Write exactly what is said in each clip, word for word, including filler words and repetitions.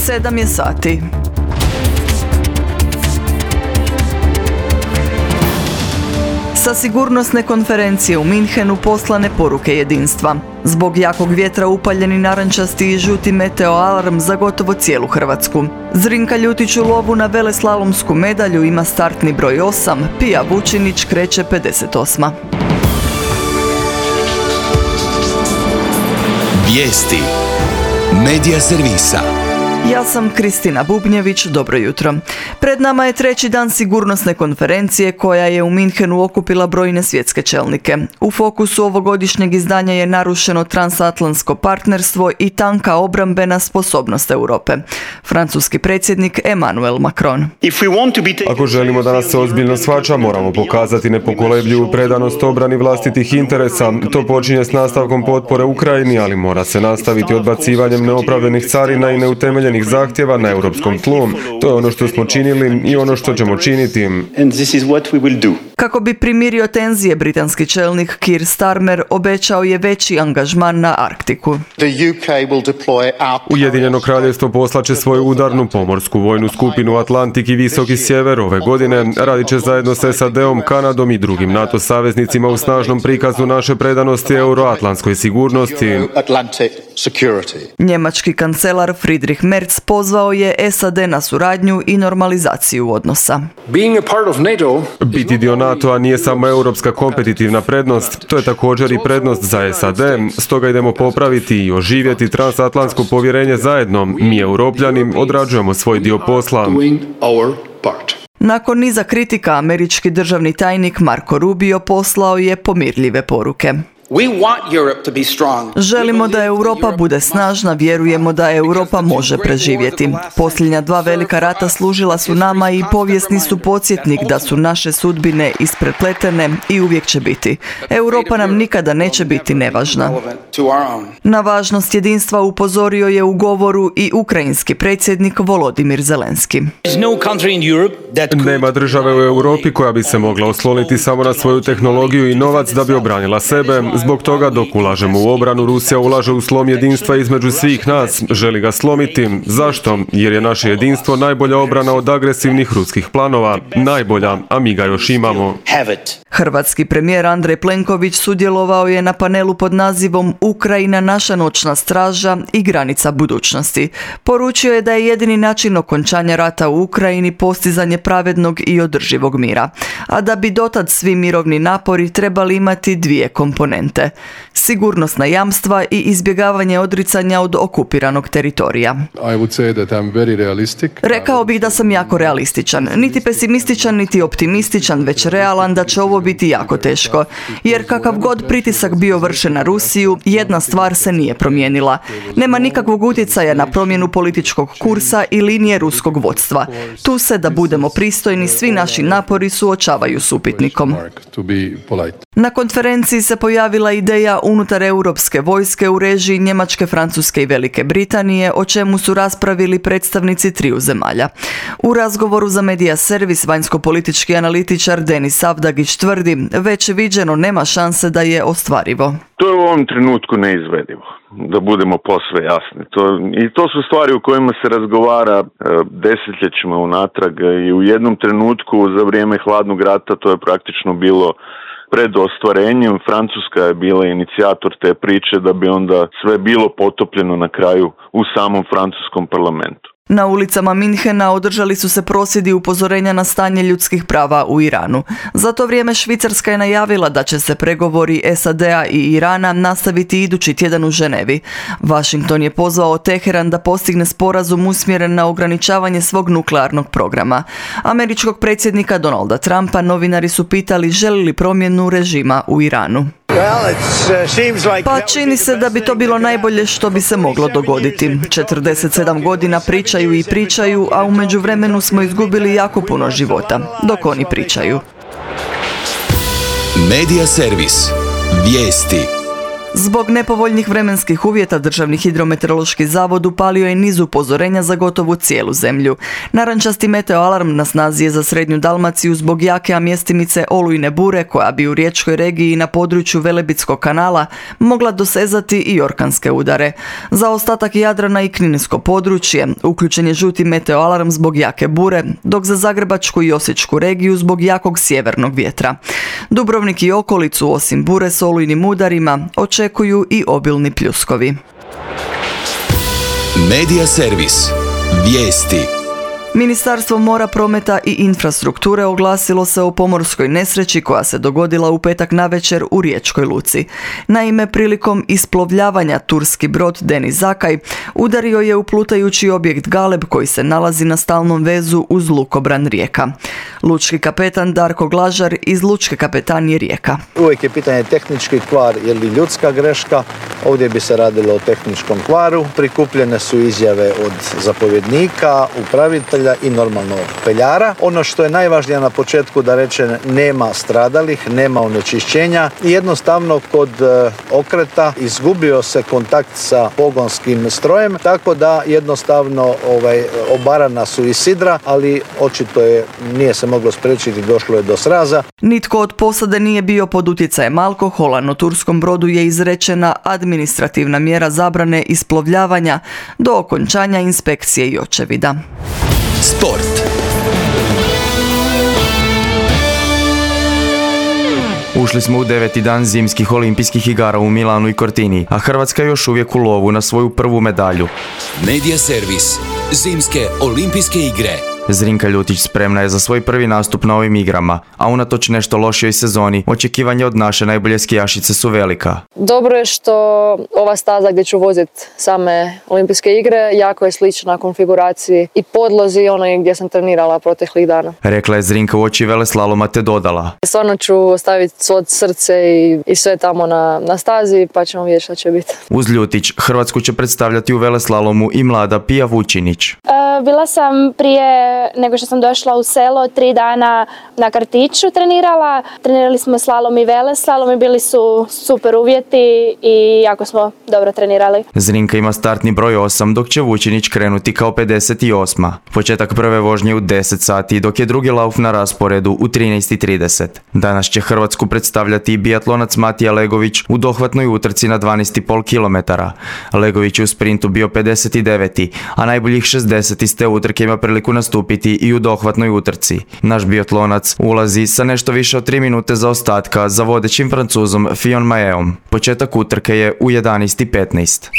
Sedam je sati. Sa sigurnosne konferencije u Minhenu poslane poruke jedinstva. Zbog jakog vjetra upaljeni narančasti i žuti meteo alarm za gotovo cijelu Hrvatsku. Zrinka Ljutić u lovu na veleslalomsku medalju ima startni broj osam, Pija Vučinić kreće pedeset osma. Vijesti Medija servisa. Ja sam Kristina Bubnjević, dobro jutro. Pred nama je treći dan sigurnosne konferencije koja je u Minhenu okupila brojne svjetske čelnike. U fokusu ovogodišnjeg izdanja je narušeno transatlantsko partnerstvo i tanka obrambena sposobnost Europe. Francuski predsjednik Emmanuel Macron. Ako želimo da nas se ozbiljno shvaća, moramo pokazati nepokolebljivu predanost obrani vlastitih interesa. To počinje s nastavkom potpore Ukrajini, ali mora se nastaviti odbacivanjem neopravdanih carina i neutemeljenih zahtjeva na europskom tlu. To je ono što smo činili i ono što ćemo činiti. Kako bi primirio tenzije, britanski čelnik Keir Starmer obećao je veći angažman na Arktiku. Ujedinjeno kraljevstvo poslaće svoju udarnu pomorsku vojnu skupinu Atlantik i Visoki sjever ove godine. Radit će zajedno s S A D-om, Kanadom i drugim NATO saveznicima u snažnom prikazu naše predanosti euroatlantskoj sigurnosti. Njemački kancelar Friedrich Merz pozvao je S A D na suradnju i normalizaciju odnosa. Biti dio NATO-a nije samo europska kompetitivna prednost, to je također i prednost za S A D, stoga idemo popraviti i oživjeti transatlantsko povjerenje zajedno. Mi, Europljani, odrađujemo svoj dio posla. Nakon niza kritika, američki državni tajnik Marco Rubio poslao je pomirljive poruke. Želimo da Europa bude snažna, vjerujemo da Europa može preživjeti. Posljednja dva velika rata služila su nama i povijesni su podsjetnik da su naše sudbine isprepletene i uvijek će biti. Europa nam nikada neće biti nevažna. Na važnost jedinstva upozorio je u govoru i ukrajinski predsjednik Volodimir Zelenski. Nema države u Europi koja bi se mogla osloniti samo na svoju tehnologiju i novac da bi obranila sebe. Zbog toga dok ulažemo u obranu, Rusija ulaže u slom jedinstva između svih nas. Želi ga slomiti. Zašto? Jer je naše jedinstvo najbolja obrana od agresivnih ruskih planova. Najbolja, a mi ga još imamo. Hrvatski premijer Andrej Plenković sudjelovao je na panelu pod nazivom Ukrajina, naša noćna straža i granica budućnosti. Poručio je da je jedini način okončanja rata u Ukrajini postizanje pravednog i održivog mira. A da bi dotad svi mirovni napori trebali imati dvije komponente. Sigurnosna jamstva i izbjegavanje odricanja od okupiranog teritorija. Rekao bih da sam jako realističan. Niti pesimističan, niti optimističan, već realan da će ovo biti jako teško. Jer kakav god pritisak bio vršen na Rusiju, jedna stvar se nije promijenila. Nema nikakvog utjecaja na promjenu političkog kursa i linije ruskog vodstva. Tu se, da budemo pristojni, svi naši napori suočavaju s upitnikom. Na konferenciji se pojavila ideja unutar europske vojske u režiji Njemačke, Francuske i Velike Britanije, o čemu su raspravili predstavnici triju zemalja. U razgovoru za Medija servis vanjsko-politički analitičar Denis Savdagić tvrdi, već viđeno nema šanse da je ostvarivo. To je u ovom trenutku neizvedivo, da budemo posve jasni. To, I to su stvari u kojima se razgovara e, desetljećima unatrag i u jednom trenutku za vrijeme hladnog rata to je praktično bilo pred ostvarenjem. Francuska je bila inicijator te priče da bi onda sve bilo potopljeno na kraju u samom francuskom parlamentu. Na ulicama Minhena održali su se prosvjedi upozorenja na stanje ljudskih prava u Iranu. Za to vrijeme Švicarska je najavila da će se pregovori S A D-a i Irana nastaviti idući tjedan u Ženevi. Washington je pozvao Teheran da postigne sporazum usmjeren na ograničavanje svog nuklearnog programa. Američkog predsjednika Donalda Trumpa novinari su pitali želi li promjenu režima u Iranu. Pa čini se da bi to bilo najbolje što bi se moglo dogoditi. četrdeset sedam godina pričaju i pričaju, a u međuvremenu smo izgubili jako puno života, dok oni pričaju. Medija servis. Vijesti. Zbog nepovoljnih vremenskih uvjeta Državni hidrometeorološki zavod upalio je niz upozorenja za gotovo cijelu zemlju. Narančasti meteoalarm na snazi je za srednju Dalmaciju zbog jake, a mjestimice olujne bure koja bi u riječkoj regiji na području Velebitskog kanala mogla dosezati i orkanske udare. Za ostatak Jadrana i kninsko područje uključen je žuti meteoalarm zbog jake bure, dok za Zagrebačku i Osječku regiju zbog jakog sjevernog vjetra. Dubrovnik i okolicu osim bure s olujnim udarima očekuju i obilni pljuskovi. Medija servis. Vijesti. Ministarstvo mora, prometa i infrastrukture oglasilo se o pomorskoj nesreći koja se dogodila u petak navečer u riječkoj luci. Naime, prilikom isplovljavanja turski brod Deniz Zakaj udario je u plutajući objekt Galeb koji se nalazi na stalnom vezu uz lukobran Rijeka. Lučki kapetan Darko Glažar iz Lučke kapetanije Rijeka. Uvijek je pitanje tehnički kvar ili ljudska greška. Ovdje bi se radilo o tehničkom kvaru. Prikupljene su izjave od zapovjednika, upravitelja i normalno peljara. Ono što je najvažnije na početku da reče nema stradalih, nema onečišćenja i jednostavno kod okreta izgubio se kontakt sa pogonskim strojem, tako da jednostavno ovaj, obarana su i sidra, ali očito je nije se moglo spriječiti, došlo je do sraza. Nitko od posade nije bio pod utjecajem alkohola, no turskom brodu je izrečena administrativna mjera zabrane isplovljavanja do okončanja inspekcije i očevida. Sport. Ušli smo u deveti dan zimskih olimpijskih igara u Milanu i Cortini, a Hrvatska još uvijek u lovu na svoju prvu medalju. Medija servis. Zimske olimpijske igre. Zrinka Ljutić spremna je za svoj prvi nastup na ovim igrama, a unatoč nešto lošijoj sezoni, očekivanja od naše najbolje skijašice su velika. Dobro je što ova staza gdje ću voziti same olimpijske igre jako je slična konfiguraciji i podlozi onoj gdje sam trenirala proteklih dana. Rekla je Zrinka uoči veleslaloma te dodala. Stvarno ću staviti svo srce i, i sve tamo na, na stazi pa ćemo vidjeti što će biti. Uz Ljutić, Hrvatsku će predstavljati u veleslalomu i mlada Pija Vučinić. E, bila sam prije nego što sam došla u selo tri dana na kartiću trenirala. Trenirali smo slalom i veleslalom i bili su super uvjeti i jako smo dobro trenirali. Zrinka ima startni broj osam, dok će Vučinić krenuti kao pedeset osma. Početak prve vožnje u deset sati, dok je drugi lauf na rasporedu u trinaest i trideset. Danas će Hrvatsku predstavljati i biatlonac Matija Legović u dohvatnoj utrci na dvanaest i pol kilometara. Legović je u sprintu bio pedeset deveti, a najboljih šezdeset iz te utrke ima priliku nastupiti i u dohvatnoj utrci. Naš biatlonac ulazi sa nešto više od tri minute zaostatka za vodećim Francuzom Fillon Mailleom. Početak utrke je u jedanaest i petnaest.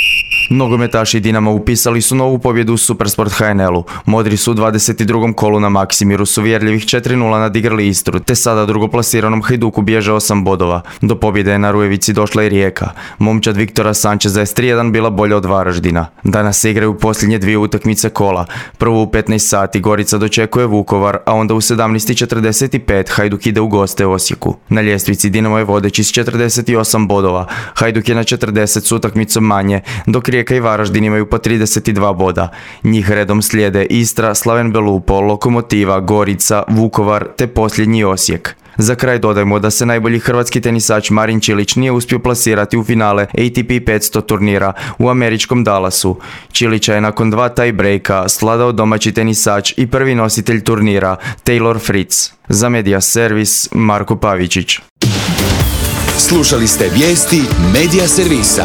Nogometaši Dinama upisali su novu pobjedu u Supersport H N L-u. Modri su u dvadeset drugom kolu na Maksimiru su uvjerljivih četiri nula nadigrali Istru, te sada drugoplasiranom Hajduku bježe osam bodova. Do pobjede je na Rujevici došla i Rijeka. Momčad Viktora Sančeza je s tri jedan bila bolja od Varaždina. Danas se igraju posljednje dvije utakmice kola. Prvo u petnaest sati Gorica dočekuje Vukovar, a onda u sedamnaest i četrdeset pet Hajduk ide u goste Osijeku. Na ljestvici Dinamo je vodeći s četrdeset osam bodova. Hajduk je na četrdeset s utakmicom manje, dok Rijeka i Varaždin imaju po trideset dva boda. Njih redom slijede Istra, Slaven Belupo, Lokomotiva, Gorica, Vukovar te posljednji Osijek. Za kraj dodajmo da se najbolji hrvatski tenisač Marin Čilić nije uspio plasirati u finale A T P petsto turnira u američkom Dallasu. Čilića je nakon dva tie breaka svladao domaći tenisač i prvi nositelj turnira Taylor Fritz. Za Medija servis Marko Pavičić. Slušali ste vijesti Medija servisa.